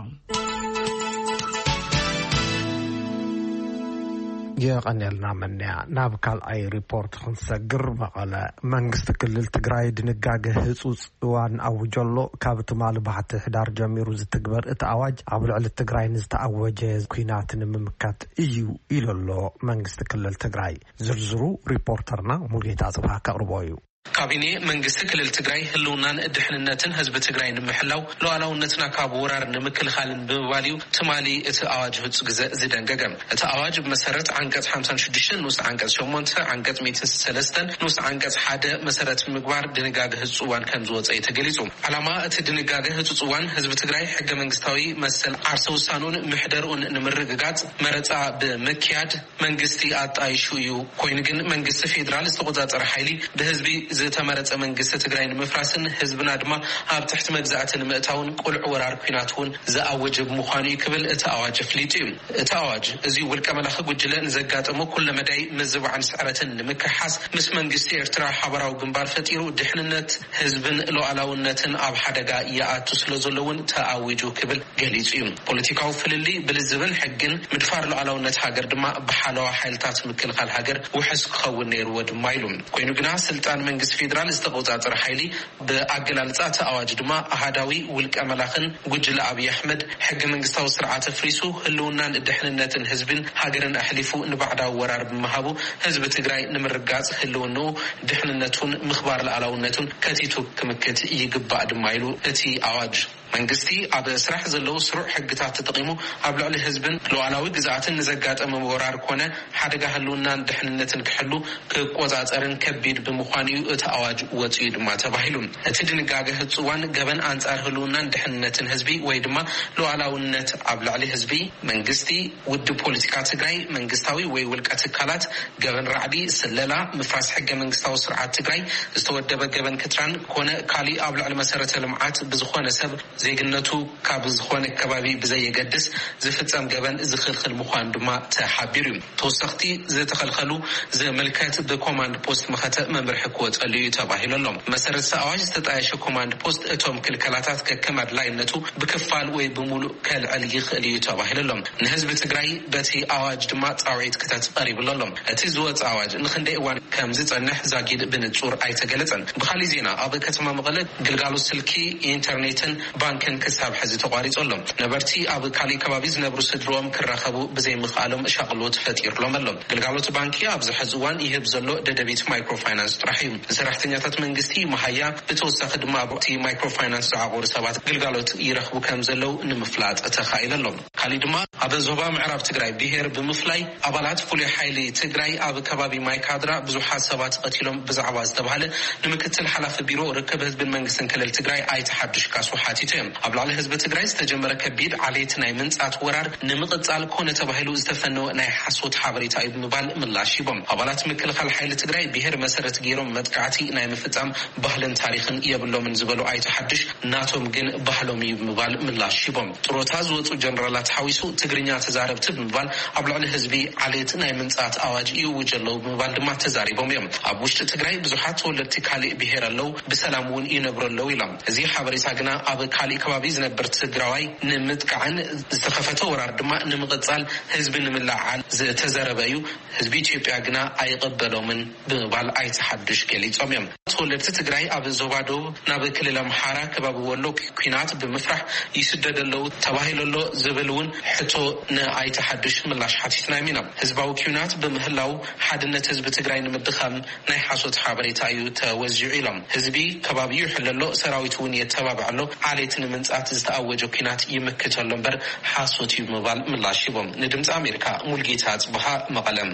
የቐንየልና መነያ። ናብ ካልኣይ ሪፖርት ክንሰግር፣ መቐለ። መንግስቲ ክልል ትግራይ ድንጋገ ህፁፅ እዋን ኣውጀሎ። ካብ ትማሊ ባሕቲ ሕዳር ጀሚሩ ዝትግበር እቲ ኣዋጅ ኣብ ልዕሊ ትግራይ ንዝተኣወጀ ኲናት ንምምካት እዩ ኢሉ ኣሎ መንግስቲ ክልል ትግራይ። ዝርዝሩ ሪፖርተርና ሙሉጌታ ጽብሃ ከቕርቦ እዩ። ካቢኔ መንግስቲ ክልል ትግራይ ህልውናን ድሕንነትን ህዝቢ ትግራይ ንምሕላው፣ ሉዓላውነትና ካብ ወራር ንምክልኻልን ብምባል እዩ ትማሊ እቲ ኣዋጅ ህፁ ግዘ ዝደንገገ። እቲ ኣዋጅ ብመሰረት ዓንቀፅ ሓምሳን ሽዱሽተን ንኡስ ዓንቀፅ ሸሞንተ፣ ዓንቀፅ ሚእትን ሰለስተን ንኡስ ዓንቀፅ ሓደ መሰረት ምግባር ድንጋገ ህፁ እዋን ከም ዝወፀ እዩ ተገሊፁ። ዓላማ እቲ ድንጋገ ህፁፅ እዋን ህዝቢ ትግራይ ሕገ መንግስታዊ መሰል ዓርሰ ውሳኑን ምሕደርኡን ንምርግጋፅ መረፃ ብምክያድ መንግስቲ ኣጣይሹ እዩ። ኮይኑ ግን መንግስቲ ፌዴራል ዝተቆፃፀረ ሓይሊ ብህዝቢ ዝተመረፀ መንግስቲ ትግራይ ንምፍራስን ህዝብና ድማ ኣብ ትሕቲ መግዛእቲ ንምእታውን ቁልዕ ወራር ኲናት እውን ዝኣወጀ ብምዃኑ እዩ ክብል እቲ ኣዋጅ ኣፍሊጡ እዩ። እቲ ኣዋጅ እዚ ውልቀ መላኺ ጉጅለ ንዘጋጠሞ ኩለ መዳይ ምዝባዕን ስዕረትን ንምክሓስ ምስ መንግስቲ ኤርትራ ሓበራዊ ግንባር ፈጢሩ ድሕንነት ህዝብን ሉዓላውነትን ኣብ ሓደጋ ይኣቱ ስለ ዘሎ እውን ተኣዊጁ ክብል ገሊጹ እዩ። ፖለቲካዊ ፍልልይ ብልዝብን ሕግን፣ ምድፋር ሉዓላውነት ሃገር ድማ ብሓለዋ ሓይልታት ምክልኻል ሃገር ውሑስ ክኸውን ነይርዎ ድማ ኢሉ። ኮይኑ ግና ስልጣን መንግስቲ ፌዴራል ዝተቆጻጸረ ሓይሊ ብኣገላልጻ እቲ ኣዋጅ ድማ ኣሃዳዊ ውልቀ መላኽን ጉጅለ ኣብይ ኣሕመድ ሕገ መንግስታዊ ስርዓት ኣፍሪሱ ህልውናን ድሕንነትን ህዝብን ሃገርን ኣሕሊፉ ንባዕዳዊ ወራር ብምሃቡ ህዝቢ ትግራይ ንምርጋጽ ህልውንኡ ድሕንነቱን ምኽባር ሉዓላውነቱን ከቲቱ ክምክት ይግባእ ድማ ኢሉ እቲ ኣዋጅ። መንግስቲ ኣብ ስራሕ ዘለዉ ስሩዕ ሕግታት ተጠቒሙ ኣብ ልዕሊ ህዝብን ሉዓላዊ ግዝኣትን ንዘጋጠመ ወራር ኮነ ሓደጋ ህልውናን ድሕንነትን ክሕሉ ክቆጻጸርን ከቢድ ብምዃኑ እዩ እቲ ኣዋጅ ወጺኡ ድማ ተባሂሉ። እቲ ድንጋገ ህጹዋን ገበን ኣንጻር ህልውናን ድሕንነትን ህዝቢ ወይ ድማ ሉዓላውነት ኣብ ልዕሊ ህዝቢ፣ መንግስቲ፣ ውድብ ፖለቲካ ትግራይ፣ መንግስታዊ ወይ ውልቀ ትካላት፣ ገበን ራዕዲ፣ ስለላ፣ ምፍራስ ሕገ መንግስታዊ ስርዓት ትግራይ፣ ዝተወደበ ገበን ክትራን ኮነ ካሊእ ኣብ ልዕሊ መሰረተ ልምዓት ብዝኾነ ሰብ ዜግነቱ ካብ ዝኾነ ከባቢ ብዘየገድስ ዝፍጸም ገበን ዝኽልኽል ምዃኑ ድማ ተሓቢሩ እዩ። ተወሰኽቲ ዝተኸልኸሉ ዝምልከት ብኮማንድ ፖስት መኸተ መምርሒ ክወጸሉ እዩ ተባሂሉ ኣሎ። መሰረት እቲ ኣዋጅ ዝተጣየሸ ኮማንድ ፖስት እቶም ክልከላታት ከከም ኣድላይነቱ ብክፋል ወይ ብምሉእ ከልዕል ይኽእል እዩ ተባሂሉ ኣሎ። ንህዝቢ ትግራይ በቲ ኣዋጅ ድማ ጻውዒት ክተት ቀሪብሉ ኣሎ። እቲ ዝወጸ ኣዋጅ ንኽንደይ እዋን ከም ዝጸንሕ ዛጊድ ብንጹር ኣይተገለጸን። ብኻሊእ ዜና፣ ኣብ ከተማ መቐለ ግልጋሎት ስልኪ፣ ኢንተርኔትን ባንክን ክሳብ ሕዚ ተቋሪጹ ኣሎ። ነበርቲ ኣብ ካሊእ ከባቢ ዝነብሩ ስድርኦም ክራኸቡ ብዘይምኽኣሎም ሻቕሎት ፈጢሩሎም ኣሎ። ግልጋሎት ባንኪ ኣብዚ ሕዚ እዋን ይህብ ዘሎ ደደቢት ማይክሮ ፋይናንስ ጥራሕ እዩ። ሰራሕተኛታት መንግስቲ መሃያ፣ ብተወሳኺ ድማ ኣብቲ ማይክሮ ፋይናንስ ዝዓቆሩ ሰባት ግልጋሎት ይረኽቡ ከም ዘለዉ ንምፍላጥ ተኻኢሉ ኣሎ። ካሊእ ድማ ኣብ ዞባ ምዕራብ ትግራይ ብሄር ብምፍላይ ኣባላት ፍሉይ ሓይሊ ትግራይ ኣብ ከባቢ ማይካድራ ብዙሓት ሰባት ቀቲሎም ብዛዕባ ዝተባህለ ንምክትል ሓላፊ ቢሮ ርክብ ህዝብን መንግስትን ክልል ትግራይ ኣይተ ሓዱሽ ካሱ ሓቲቱ እዮም። ኣብ ልዕሊ ህዝቢ ትግራይ ዝተጀመረ ከቢድ ዓሌት ናይ ምንጻት ወራር ንምቕጻል ኮነ ተባሂሉ ዝተፈነወ ናይ ሓሶት ሓበሬታ እዩ ብምባል ምላሽ ሂቦም። ኣባላት ምክልኻል ሓይሊ ትግራይ ብሄር መሰረት ገይሮም መጥቃዕቲ ናይ ምፍጻም ባህልን ታሪኽን የብሎምን ዝበሉ ኣይተ ሓዱሽ፣ ናቶም ግን ባህሎም እዩ ብምባል ምላሽ ሂቦም። ጥሮታ ዝወፁ ጀነራላት ሓዊሱ ትግርኛ ተዛረብቲ ብምባል ኣብ ልዕሊ ህዝቢ ዓሌት ናይ ምንጻት ኣዋጅ ይእውጅ ኣለዉ ብምባል ድማ ተዛሪቦም እዮም። ኣብ ውሽጢ ትግራይ ብዙሓት ተወለድቲ ካሊእ ብሄር ኣለዉ፣ ብሰላም እውን ይነብሩ ኣለዉ ኢሎም። እዚ ሓበሬታ ግና ኣብ ካሊእ ከባቢ ዝነብር ትግራዋይ ንምጥቃዕን ዝተኸፈተ ወራር ድማ ንምቕጻል ህዝቢ ንምልዕዓል ዝተዘረበ እዩ። ህዝቢ ኢትዮጵያ ግና ኣይቕበሎምን ብምባል ኣይተ ሓዱሽ ገሊጾም እዮም። ተወለድቲ ትግራይ ኣብ ዞባ ደቡብ ናብ ክልል ኣምሓራ ከባቢ ወሎ ኲናት ብምፍራሕ ይስደዱ ኣለዉ ተባሂሉ ኣሎ ዝብል እውን ሕቶ ንኣይተ ሓዱሽ ምላሽ ሓቲትና ኢና። ህዝባዊ ኲናት ብምህላው ሓድነት ህዝቢ ትግራይ ንምድኻም ናይ ሓሶት ሓበሬታ እዩ ተወዚዑ ኢሎም። ህዝቢ ከባቢኡ ይሕሎ ኣሎ፣ ሰራዊት እውን የተባብዕ ኣሎ፣ ዓሌት ንምንጻት ዝተኣወጀ ኲናት ይምክት ኣሎ እምበር ሓሶት እዩ ብምባል ምላሽ ሂቦም። ንድምፂ ኣሜሪካ ሙልጌታ ጽብሃ መቐለም።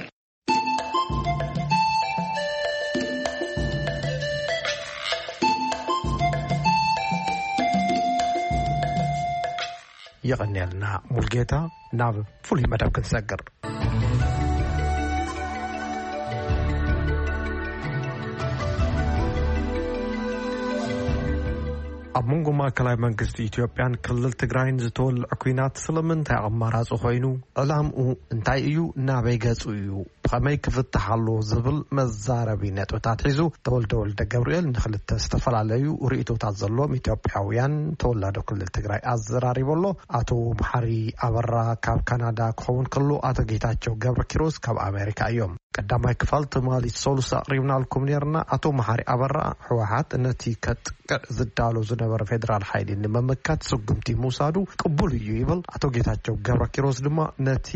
የቐንየልና ሙልጌታ። ናብ ፍሉይ መደብ ክንሰግር። ኣብ መንጎ ማእከላይ መንግስቲ ኢትዮጵያን ክልል ትግራይን ዝተወልዐ ኲናት ስለምንታይ ኣማራጺ ኮይኑ? ዕላምኡ እንታይ እዩ? ናበይ ገጹ እዩ? ብኸመይ ክፍታሕ ኣለዎ ዝብል መዛረቢ ነጥብታት ሒዙ ተወልደ ወልደ ገብርኤል ንኽልተ ዝተፈላለዩ ርእይቶታት ዘለዎም ኢትዮጵያውያን ተወላዶ ክልል ትግራይ ኣዘራሪቡ ኣሎ። ኣቶ መሓሪ ኣበራ ካብ ካናዳ ክኸውን ከሎ፣ ኣቶ ጌታቸው ገብረ ኪሮስ ካብ ኣሜሪካ እዮም። ቀዳማይ ክፋል ትማሊ ሰሉስ ኣቕሪብናልኩም ነርና። ኣቶ መሓሪ ኣበራ፣ ህወሓት ነቲ ከጥቅዕ ዝዳሎ ዝነበረ ፌደራል ሓይሊ ንምምካት ስጉምቲ ምውሳዱ ቅቡል እዩ ይብል። ኣቶ ጌታቸው ገብረ ኪሮስ ድማ ነቲ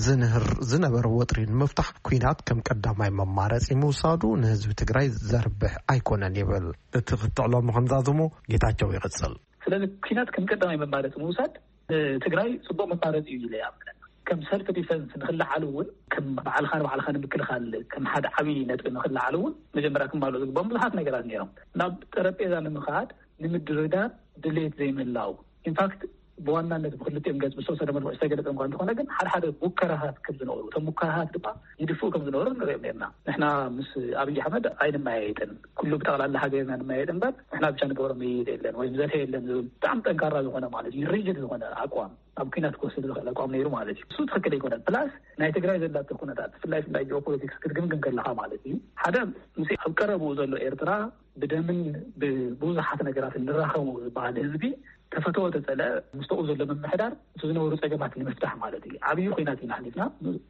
ዝንህር ዝነበረ ወጥሪ ንምፍታሕ ኲናት ከም ቀዳማይ መማረፂ ምውሳዱ ንህዝቢ ትግራይ ዘርብሕ ኣይኮነን ይብል። እቲ ክትዕሎ ምኽንዛዝሞ ጌታቸው ይቕጽል። ስለዚ ኲናት ከም ቀዳማይ መማረፂ ምውሳድ ንትግራይ ጽቡቕ መማረፂ እዩ ኢለ ይኣምን። ከም ሰልፍ ዲፈንስ ንኽለዓል እውን፣ ከም ባዕልኻ ንባዕልኻ ንምክልኻል ከም ሓደ ዓብዪ ነጥቢ ንኽለዓል እውን መጀመርያ ክማልኡ ዝግባኦም ብዙሓት ነገራት ነይሮም። ናብ ጠረጴዛ ንምኻድ ንምድርዳር ድሌት ዘይምህላው። ኢንፋክት ብዋናነት ብክልቲኦም ገጽ ብዝተወሰነ መልክዑ ዝተገለጸ እኳ እንተኾነ፣ ግን ሓደ ሓደ ሙከራታት ከም ዝነበሩ፣ እቶም ሙከራታት ድማ ይድፍኡ ከም ዝነበሩ ንሪኦም ነርና። ንሕና ምስ ኣብይ ኣሕመድ ኣይንመያየጥን፣ ኩሉ ብጠቕላላ ሃገርና ንመያየጥ እምበር ንሕና ብቻ ንገብሮ ምይይጥ የለን ወይም ዘተ የለን ዝብል ብጣዕሚ ጠንካራ ዝኾነ ማለት እዩ፣ ሪጅድ ዝኾነ ኣቋም፣ ኣብ ኲናት ክወስድ ዝኽእል ኣቋም ነይሩ ማለት እዩ። እሱ ትኽክል ኣይኮነን። ፕላስ ናይ ትግራይ ዘላቶ ኩነታት፣ ብፍላይ ብፍላይ ጂኦፖለቲክስ ክትግምግም ከለኻ ማለት እዩ፣ ሓደ ምስ ኣብ ቀረብኡ ዘሎ ኤርትራ ብደምን ብብዙሓት ነገራትን ንራኸቡ ዝበሃል ህዝቢ ተፈተወ ተጸለ፣ ምስተኡ ዘሎ ምምሕዳር እቲ ዝነበሩ ጸገማት ንምፍታሕ ማለት እዩ። ዓብዪ ኲናት ኢና ሓሊፍና።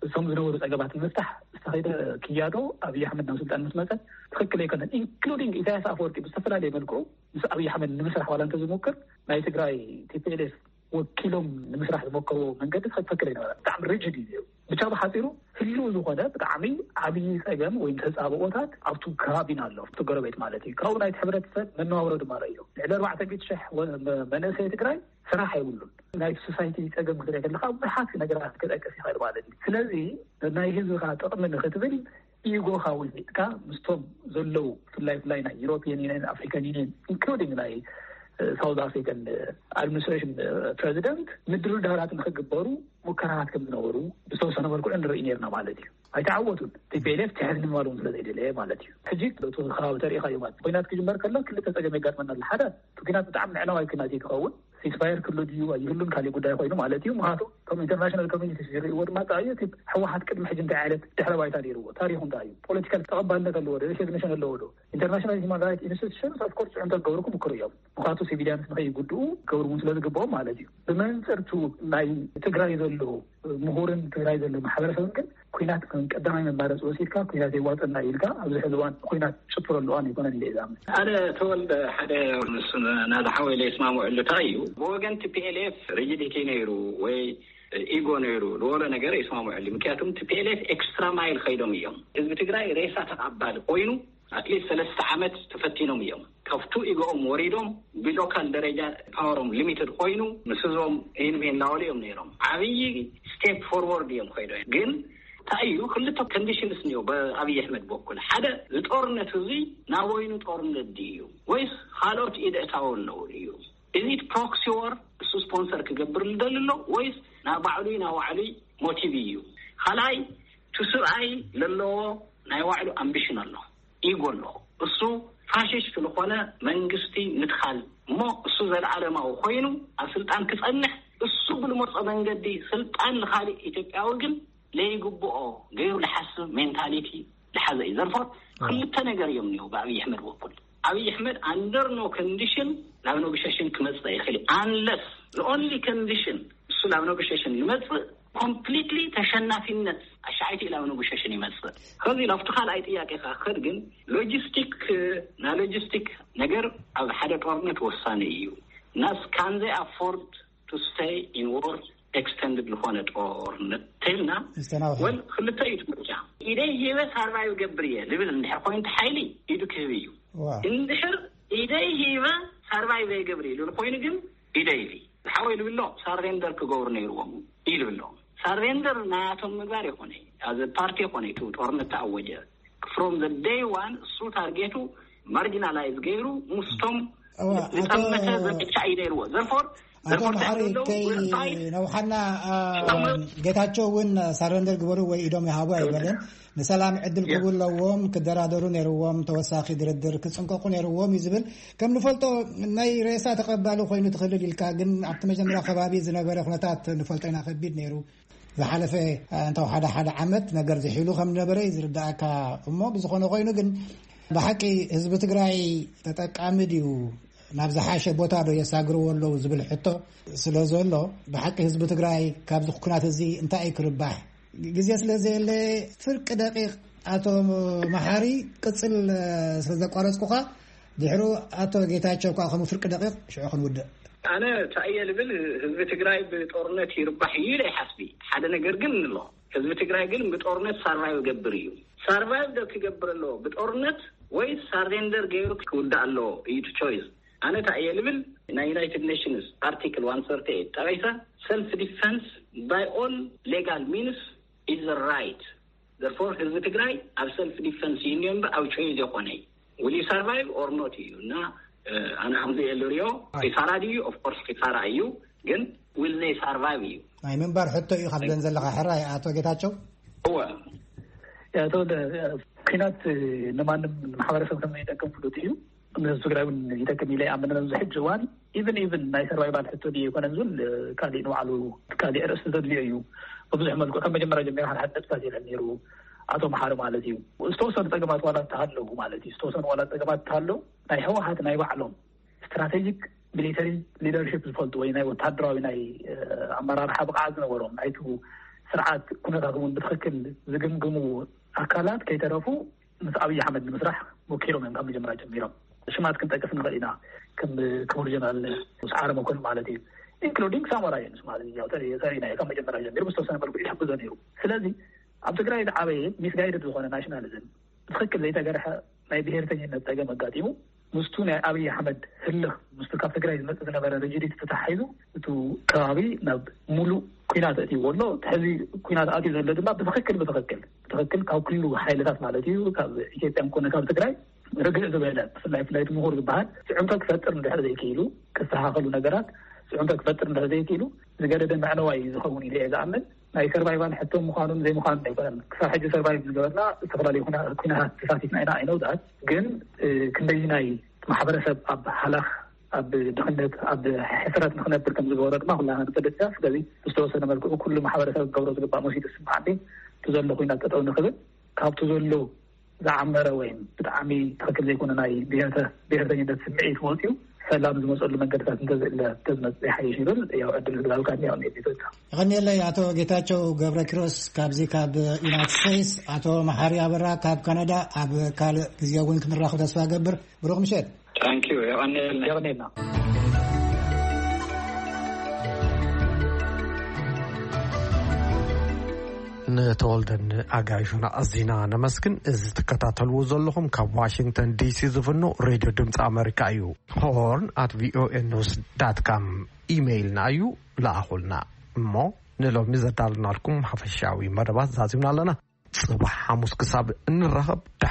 እቶም ዝነበሩ ጸገማት ንምፍታሕ ዝተኸይደ ክያዶ ኣብይ ኣሕመድ ናብ ስልጣን ምስ መጸ ትኽክል ኣይኮነን። ኢንክሉዲንግ ኢሳያስ ኣፈወርቂ ብዝተፈላለየ መልክዑ ምስ ኣብይ ኣሕመድ ንምስራሕ ዋላ እንተዝሞክር ናይ ትግራይ ቲ ፒ ኤል ኤፍ ወኪሎም ንምስራሕ ዝሞከርዎ መንገዲ ትኽክል ኣይነበረን። ብጣዕሚ ሪጅድ እዩ ነይሩ። ብቻ ብሓፂሩ ህልው ዝኾነ ብጣዕሚ ዓብዪ ፀገም ወይ ተፃብኦታት ኣብቱ ከባቢና ኣሎ፣ ኣብቱ ጎረቤት ማለት እዩ። ካብኡ ናይቲ ሕብረተሰብ መነባብሮ ድማ ረእዮ። ልዕሊ ኣርባዕተ ሚእቲ ሽሕ ወ-፣ መ-፣ መንእሰይ ትግራይ ስራሕ የብሉን። ናይቲ ሶሳይቲ ፀገም ክትርኢ ከለካ ብዙሓት ነገራት ክጠቅስ ይኽእል ማለት እዩ። ስለዚ ናይ ህዝብኻ ጥቕሚ ንክትብል ኢጎኻ ውሒጥካ ምስቶም ዘለዉ ብፍላይ ብፍላይ ናይ ዩሮፒያን ዩኒየን፣ ኣፍሪካን ዩኒየን፣ ኢንክሉዲንግ ናይ ሳውዝ ኣፍሪካን ኣድሚኒስትሬሽን ፕሬዚደንት ምድርዳራት ንክግበሩ ሙከራታት ከም ዝነበሩ ብዝተወሰነ መልክዑ ንርኢ ነርና ማለት እዩ። ኣይተዓወቱን። ቲ ፒ ኤል ኤፍ ትሕት ንምባል እውን ስለ ዘይደለየ ማለት እዩ። ሕጂ እቲ ከባቢ ተሪኢኻ እዩ ማለት፣ ኮይናት ክጅመር ከሎ ክልተ ፀገም የጋጥመና ኣሎ። ሓደ እቲ ኩናት ብጣዕሚ ምዕናዋይ ኩናት እዩ ክኸውን፣ ሲስፋየር ክሉ ድዩ ኣይህሉን ካልእ ጉዳይ ኮይኑ ማለት እዩ። ምክንያቱ ከም ኢንተርናሽናል ኮሚኒቲ ዝርእይዎ ድማ እንታይ እዩ፣ እቲ ህወሓት ቅድሚ ሕጂ እንታይ ዓይነት ድሕረ ባይታ ነይርዎ፣ ታሪኹ እንታይ እዩ፣ ፖለቲካል ተቐባልነት ኣለዎ ዶ፣ ሬኮግኒሽን ኣለዎ ዶ፣ ኢንተርናሽናል ሂማን ራይት ኢንስቲቱሽንስ ኦፍኮርስ ፅዕንቶ ክገብሩ ክምክሩ እዮም። ምክንያቱ ሲቪሊያንስ ንኸይጉድኡ ክገብሩ እውን ስለ ዝግብኦም ማለት እዩ። ብመንፅርቱ ናይ ትግራይ ዘሎ ምሁርን ትግራይ ዘሎ ማሕበረሰብን ግን ኩናት ከም ቀዳማይ መማረፂ ወሲድካ ኩናት የዋፀና ኢልካ ኣብዚ ሕዚ እዋን ኩናት ጭፍረሉ እዋን ኣይኮነን ኢለ እየ ዝኣምን። ኣነ ተወልደ ሓደ ምስ ናዛ ሓወይ ለይስማምዐሉ እንታይ እዩ፣ ብወገን ቲ ፒ ኤል ኤፍ ሪጂዲቲ ነይሩ ወይ ኢጎ ነይሩ ዝበሎ ነገር ይስማምዐሉ። ምክንያቱም ቲ ፒ ኤል ኤፍ ኤክስትራ ማይል ከይዶም እዮም። ህዝቢ ትግራይ ሬሳ ተቓባሊ ኮይኑ ኣትሊስት ሰለስተ ዓመት ተፈቲኖም እዮም። ካብቱ ኢጎኦም ወሪዶም ብሎካል ደረጃ ፓወሮም ሊሚትድ ኮይኑ ምስ ህዝቦም ይንሜ እናበሉ እዮም ነይሮም። ዓብዪ ስቴፕ ፎርወርድ እዮም ኮይዶ። ግን እንታይ እዩ ክልተ ኮንዲሽንስ እኒኦ ብኣብይ ኣሕመድ በኩል። ሓደ፣ ዝጦርነት እዚ ናብ ወይኑ ጦርነት ድዩ ወይስ ካልኦት ኢደ እታወ ኣለዉ ድዩ? እዚ ፕሮክሲ ወር እሱ ስፖንሰር ክገብር ዝደሊ ኣሎ ወይስ ናብ ባዕሉ ናብ ባዕሉ ሞቲቭ እዩ? ካልኣይ፣ እቲ ስብኣይ ለለዎ ናይ ባዕሉ ኣምቢሽን ኣሎ፣ ኢጎ ኣሎ። እሱ ፋሽስት ዝኾነ መንግስቲ ምትኻል እሞ እሱ ዘለዓለማዊ ኮይኑ ኣብ ስልጣን ክጸንሕ፣ እሱ ብልመርጾ መንገዲ ስልጣን ንኻሊእ ኢትዮጵያዊ ግን ለይግብኦ ገይሩ ዝሓስብ ሜንታሊቲ ዝሓዘ እዩ። ዘርፎ ክልተ ነገር እዮም እኒኦ ብኣብይ ኣሕመድ በኩል። ኣብይ ኣሕመድ ኣንደር ኖ ኮንዲሽን ናብ ኔጎሽሽን ክመጽእ ይኽእል፣ ኣንለስ ኦንሊ ኮንዲሽን እሱ ናብ ኔጎሽሽን ይመጽእ፣ ኮምፕሊትሊ ተሸናፊነት ኣሻዓይቲ ናብ ኔጎሽሽን ይመጽእ። ከዚ ናብቲ ካልኣይ ጥያቄ ከኸድ ግን ሎጂስቲክ፣ ና ሎጂስቲክ ነገር ኣብ ሓደ ጦርነት ወሳኒ እዩ። ናስ ካን ዘይ ኣፎርድ ቱ ስቴይ ኢን ዎር ኤክስተንድድ ዝኾነ ጦርነት ተልና? ዝተናውሐ። ወል ክልተ እዩ እቲ ምርጫ። ኢደይ ሂበ ሳርቫይቭ ገብር እየ ልብል እንድሕር ኮይኑ፣ እቲ ሓይሊ ኢዱ ክህብ እዩ። ዋ። እንድሕር ኢደይ ሂበ ሳርቫይቭ ይገብር እዩ ልብል ኮይኑ ግን ኢደይ ኢሉ ዝሓወይ ልብሎ ሳሬንደር ክገብሩ ነይርዎም እዩ ልብሎ። ሳሬንደር ናያቶም ምግባር ይኾነ፣ ኣዘ ፓርቲ ይኾነ፣ እቲ ጦርነት ተኣወጀ፣ ፍሮም ዘ ደይ ዋን እሱ ታርጌቱ ማርጂናላይዝ ገይሩ ምስቶም እዋ፣ ኣቶ ዝጠመተ ዘመቻ እዩ ነይርዎ። ዘርፎር ኣቶ ዘርፎር መሓሪ፣ ከይ ነውሓና፣ አ፣ ጌታቸው እውን ሳረንደር ግበሩ ወይ ኢዶም ይሃቡ ኣይበለን። ንሰላም ዕድል ክህቡ ኣለዎም፣ ክደራደሩ ነይርዎም፣ ተወሳኺ ድርድር ክጽንቀቁ ነይርዎም እዩ ዝብል። ከም ንፈልጦ ናይ ሬሳ ተቐባሊ ኮይኑ ትኽልል ኢልካ፣ ግን ኣብቲ መጀመርያ ከባቢ ዝነበረ ኩነታት ንፈልጦ ኢና፣ ከቢድ ነይሩ። ዝሓለፈ፣ እ፣ እንተው ሓደ ሓደ ዓመት ነገር ዝሒሉ ከም ዝነበረ እዩ ዝርዳእካ። እሞ ብዝኾነ ኮይኑ ግን ብሓቂ ህዝቢ ትግራይ ተጠቃሚ ድዩ? ናብ ዝሓሸ ቦታ ዶ የሳግርዎ ኣለዉ ዝብል ሕቶ ስለ ዘሎ፣ ብሓቂ ህዝቢ ትግራይ ካብዚ ኩናት እዚ እንታይ እዩ ክርባሕ? ግዜ ስለ ዘየለ ፍርቂ ደቂቕ ኣቶ መሓሪ ቅጽል፣ እ፣ ስለ ዘቋረጽኩኻ፣ ድሕሩ ኣቶ ጌታቸው ከኣ ከምኡ ፍርቂ ደቂቕ ሽዑ ክንውድእ። ኣነ እንታይ እየ ልብል፣ ህዝቢ ትግራይ ብጦርነት ይርባሕ እዩ ኢለ ይሓስቢ። ሓደ ነገር ግን ንሎ፣ ህዝቢ ትግራይ ግን ብጦርነት ሳርቫይቭ ገብር እዩ። ሳርቫይቭ ዶ ክገብር ኣለዎ ብጦርነት ወይ ሳሬንደር ገይሩ ክውዳእ ኣለዎ እዩ እቲ ቾይስ። ኣነ እንታይ እየ ልብል፣ ናይ ዩናይትድ ኔሽንስ ኣርቲክል ዋን ሰርቲ ኤይት ጠቒሰ፣ ሰልፍ ዲፈንስ ባይ ኦል ሌጋል ሚንስ ኢዝ ራይት። ዘርፎር ህዝቢ ትግራይ ኣብ ሰልፍ ዲፈንስ እዩ እኒኦ እምበር ኣብ ቾይዝ የኾነ። ዊል ዩ ሰርቫይቭ ኦር ኖት እዩ። እና፣ እ፣ ኣነ ከምዚ እየ ልሪኦ። ኪሳራ ድዩ? ኦፍኮርስ ኪሳራ እዩ፣ ግን ዊል ዘይ ሰርቫይቭ እዩ። ናይ ምንባር ሕቶ እዩ ካብ ደን ዘለኻ ሕራይ ኣቶ ጌታቸው። እወ። ኣቶ ደ-፣ ኩናት ንማንም ማሕበረሰብ ከም ዘይጠቅም ፍሉጥ እዩ። ንህዝቢ ትግራይ እውን ይጠቅም ኢለ ይኣምን ኣብዚ ሕጂ እዋን። ኢቭን፣ ኢቭን ናይ ሰርቫይቫል ሕቶ ድዩ ኣይኮነን ዝብል፣ እ፣ ካሊእ ንባዕሉ ካሊእ ርእሲ ዘድልዮ እዩ። ብብዙሕ መልክዑ ካብ መጀመርያ ጀሚሩ ሓደ ሓደ ነጥብታት የለን ነይሩ ኣቶ መሓሪ ማለት እዩ። ዝተወሰኑ ጸገማት ዋላ እንተሃለዉ ማለት እዩ፣ ዝተወሰኑ ዋላ ጸገማት እንተሃለዉ ናይ ህወሓት ናይ ባዕሎም ስትራቴጂክ ሚሊተሪ ሊደርሺፕ ዝፈልጡ ወይ ናይ ወታደራዊ ናይ፣ እ፣ ኣመራርሓ ብቕዓት ዝነበሮም ናይቲ ስርዓት ኩነታት እውን ብትኽክል ዝግምግሙ ኣካላት ከይተረፉ ምስ ኣብይ ኣሕመድ ንምስራሕ ሞኪሮም እዮም ካብ መጀመርያ ጀሚሮም። ሽማት ክንጠቅስ ንኽእል ኢና፣ ከም ክቡር ጀነራል ሰዓረ መኮንን ማለት እዩ፣ ኢንክሉዲንግ ሳሞራ ዩኑስ ማለት እዩ። ያው ተሪ-፣ ተሪና እዩ ካብ መጀመርያ ጀሚሩ ብዝተወሰነ መልኩ ይሕግዞ ነይሩ። ስለዚ ኣብ ትግራይ ዝዓበየ ሚስጋይድድ ዝኾነ ናሽናሊዝም፣ ብትኽክል ዘይተገርሐ ናይ ብሄርተኝነት ጸገም ኣጋጢሙ፣ ምስቱ ናይ ኣብይ ኣሕመድ ህልኽ፣ ምስቱ ካብ ትግራይ ዝመጽእ ዝነበረ ሪጂዲቲ ተተሓሒዙ፣ እቱ ከባቢ ናብ ሙሉእ ኩናት ኣእትይዎ ኣሎ። እቲ ሕዚ ኩናት ኣትዩ ዘሎ ድማ ብትኽክል፣ ብትኽክል፣ ብትኽክል ካብ ኩሉ ሓይልታት ማለት እዩ፣ ካብ ኢትዮጵያን ኮነ ካብ ትግራይ ርግእ ዝበለ፣ ብፍላይ፣ ብፍላይ እቲ ምሁር ዝበሃል ጽዕንቶ ክፈጥር እንድሕር ዘይክኢሉ፣ ክስተኻኸሉ ነገራት ጽዕንቶ ክፈጥር እንድሕር ዘይክኢሉ፣ ዝገደደ መዕነዋይ እዩ ዝኸውን ኢለ እየ ዝኣምን። ናይ ሰርቫይቫል ሕቶ ምዃኑን ዘይምዃኑን ኣይኮነን። ክሳብ ሕጂ ሰርቫይቭ ዝገበርና ዝተፈላለዩ ኩና-፣ ኩናታት ተሳቲፍና ኢና፣ ኣይነውዳት። ግን፣ እ፣ ክንደይናይ ማሕበረሰብ ኣብ ሃላኽ፣ ኣብ ድኽነት፣ ኣብ ሕስረት ንኽነብር ከም ዝገበሮ ድማ ኩላና ንፈልጥ ኢና። ስለዚ ብዝተወሰነ መልክዑ ኩሉ ማሕበረሰብ ክገብሮ ዝግባእ መሲሉ ዝስምዓኒ፣ እቲ ዘሎ ኩናት ጠጠው ንኽብል፣ ካብቲ ዘሎ ዝዓመረ ወይም ብጣዕሚ ትኽክል ዘይኮነ ናይ ብሄርተ-፣ ብሄርተኝነት ስምዒት ወፂኡ ሰላም ዝመፀሉ መንገድታት እንተዝእለ፣ እንተዝመፅእ ይሓይሽ ይብል። ያው ዕድል ህዝባዊ ካድሚ ያው ኔት ይዘጋ። የቐንየለይ ኣቶ ጌታቸው ገብረ ኪሮስ ካብዚ ካብ ዩናይትድ ስቴትስ፣ ኣቶ መሓሪ ኣበራ ካብ ካናዳ። ኣብ ካልእ ግዜ እውን ክንራኸብ ተስፋ ገብር። ብሩኽ ምሸት። ታንኪዩ። የቐንየልና። የቐንየልና። ንተወልደን ኣጋይሹን ኣዚና ነመስግን። እዚ ትከታተልዎ ዘለኹም ካብ ዋሽንግተን ዲሲ ዝፍኖ ሬድዮ ድምፂ ኣመሪካ እዩ። ሆርን ኣት ቪኦኤ ኒውስ ዳት ካም ኢሜይልና እዩ። ለኣኹልና። እሞ ንሎሚ ዘዳልናልኩም ሓፈሻዊ መደባት ዛዚምና ኣለና። ጽባሕ ሓሙስ ክሳብ እንራኸብ